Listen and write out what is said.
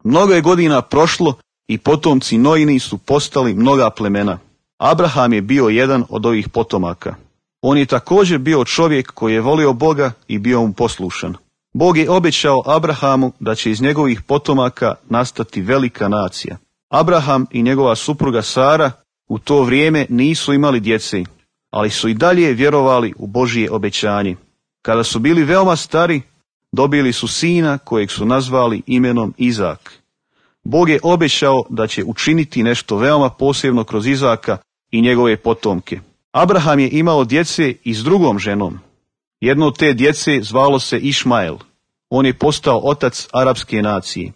Mnogo je godina prošlo i potomci Noini su postali mnoga plemena. Abraham je bio jedan od ovih potomaka. On je također bio čovjek koji je volio Boga i bio mu poslušan. Bog je obećao Abrahamu da će iz njegovih potomaka nastati velika nacija. Abraham i njegova supruga Sara u to vrijeme nisu imali djece, ali su i dalje vjerovali u Božje obećanje. Kada su bili veoma stari, dobili su sina kojeg su nazvali imenom Izak. Bog je obećao da će učiniti nešto veoma posebno kroz Izaka i njegove potomke. Abraham je imao djece i s drugom ženom. Jedno od te djece zvalo se Išmael. On je postao otac arapske nacije.